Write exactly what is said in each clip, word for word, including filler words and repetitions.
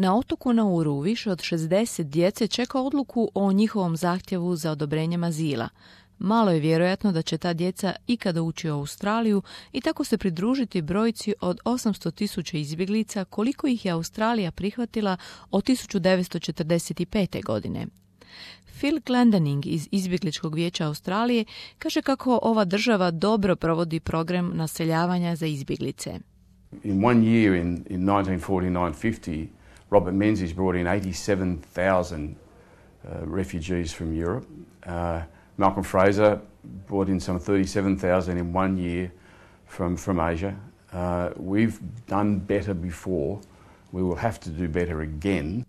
Na otoku Nauru više od šezdeset djece čeka odluku o njihovom zahtjevu za odobrenjem azila. Malo je vjerojatno da će ta djeca ikada ući u Australiju i tako se pridružiti brojci od osamsto tisuća izbjeglica koliko ih je Australija prihvatila od tisuću devetsto četrdeset pete. godine. Phil Glendening iz Izbjegličkog vijeća Australije kaže kako ova država dobro provodi program naseljavanja za izbjeglice. In one year in, in nineteen forty-nine fifty, Robert Menzies brought in eighty-seven thousand uh, refugees from Europe. Uh, Malcolm Fraser brought in some thirty-seven thousand in one year from, from Asia. Uh, we've done better before. We will have to do better again.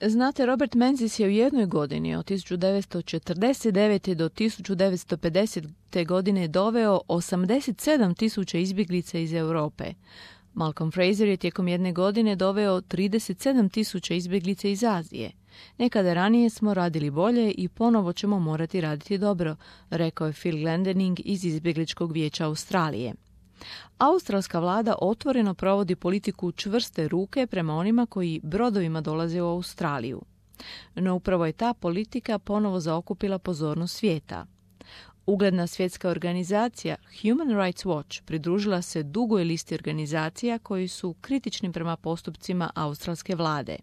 Znate, Robert Menzies je u jednoj godini od tisuću devetsto četrdeset devete. do tisuću devetsto pedesete. godine doveo osamdeset sedam tisuća izbjeglica iz Europe. Malcolm Fraser je tijekom jedne godine doveo trideset sedam tisuća izbjeglica iz Azije. Nekada ranije smo radili bolje i ponovo ćemo morati raditi dobro, rekao je Phil Glendening iz Izbjegličkog vijeća Australije. Australska vlada otvoreno provodi politiku čvrste ruke prema onima koji brodovima dolaze u Australiju. No upravo je ta politika ponovo zaokupila pozornost svijeta. Ugledna svjetska organizacija Human Rights Watch pridružila se dugoj listi organizacija koji su kritični prema postupcima australske vlade.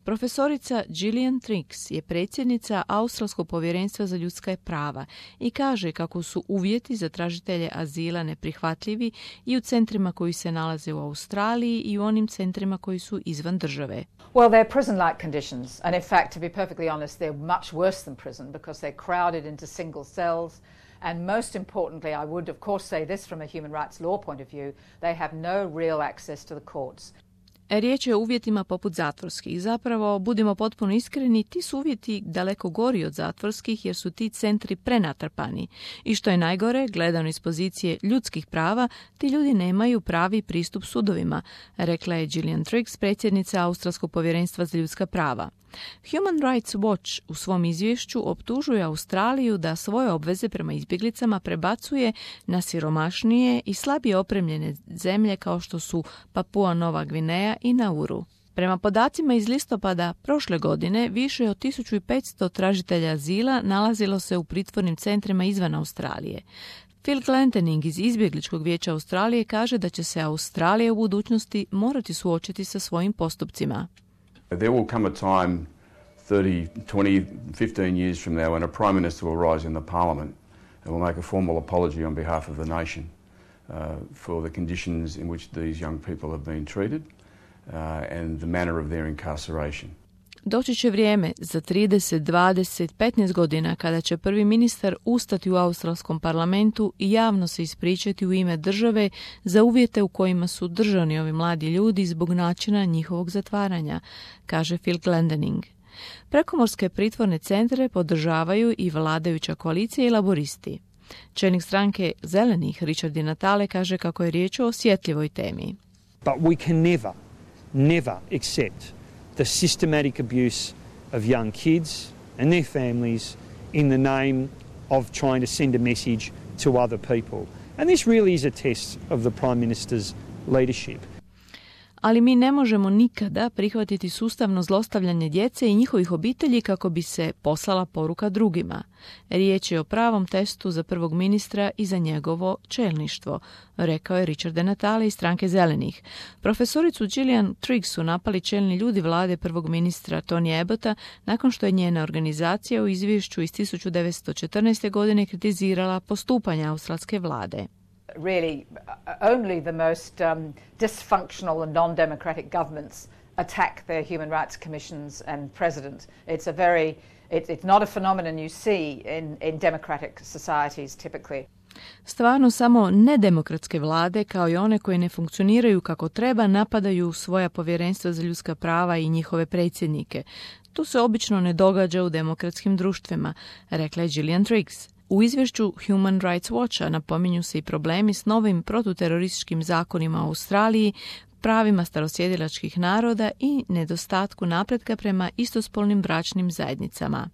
Profesorica Gillian Triggs je predsjednica Australskog povjerenstva za ljudska prava i kaže kako su uvjeti za tražitelje azila neprihvatljivi i u centrima koji se nalaze u Australiji i u onim centrima koji su izvan države. Well, they're prison-like conditions, and in fact, to be perfectly honest, they're much worse than prison because they're crowded into single cells. And most importantly, I would of course say this from a human rights law point of view, they have no real access to the courts. Riječ je o uvjetima poput zatvorskih. Zapravo, budimo potpuno iskreni, ti su uvjeti daleko gori od zatvorskih jer su ti centri prenatrpani. I što je najgore, gledano iz pozicije ljudskih prava, ti ljudi nemaju pravi pristup sudovima, rekla je Gillian Triggs, predsjednica Australskog povjerenstva za ljudska prava. Human Rights Watch u svom izvješću optužuje Australiju da svoje obveze prema izbjeglicama prebacuje na siromašnije i slabije opremljene zemlje kao što su Papua Nova Gvineja i Nauru. Prema podacima iz listopada prošle godine, više od tisuću petsto tražitelja azila nalazilo se u pritvornim centrima izvan Australije. Phil Glendening iz Izbjegličkog vijeća Australije kaže da će se Australija u budućnosti morati suočiti sa svojim postupcima. There will come a time thirty, twenty, fifteen years from now when a Prime Minister will rise in the Parliament and will make a formal apology on behalf of the nation uh, for the conditions in which these young people have been treated uh, and the manner of their incarceration. Doći će vrijeme za trideset, dvadeset, petnaest godina kada će prvi ministar ustati u australskom parlamentu i javno se ispričati u ime države za uvjete u kojima su držani ovi mladi ljudi zbog načina njihovog zatvaranja, kaže Phil Glendening. Prekomorske pritvorne centre podržavaju i vladajuća koalicija i laboristi. Čelnik stranke Zelenih Richard Di Natale kaže kako je riječ o osjetljivoj temi. But we can never, never accept the systematic abuse of young kids and their families in the name of trying to send a message to other people. And this really is a test of the Prime Minister's leadership. Ali mi ne možemo nikada prihvatiti sustavno zlostavljanje djece i njihovih obitelji kako bi se poslala poruka drugima. Riječ je o pravom testu za prvog ministra i za njegovo čelništvo, rekao je Richard Di Natale iz stranke Zelenih. Profesoricu Gillian Triggs su napali čelni ljudi vlade prvog ministra Tony Abbotta nakon što je njena organizacija u izvješću iz tisuću devetsto četrnaeste. godine kritizirala postupanja australske vlade. Really, only the most um, dysfunctional and non-democratic governments attack their human rights commissions and president. It's a very, it, it's not a phenomenon you see in, in democratic societies typically. Stvarno samo nedemokratske vlade, kao i one koje ne funkcioniraju kako treba, napadaju svoja povjerenstva za ljudska prava i njihove predsjednike. To se obično ne događa u demokratskim društvima, rekla je Gillian Triggs. U izvješću Human Rights Watcha napominju se i problemi s novim protuterorističkim zakonima u Australiji, pravima starosjedilačkih naroda i nedostatku napretka prema istospolnim bračnim zajednicama.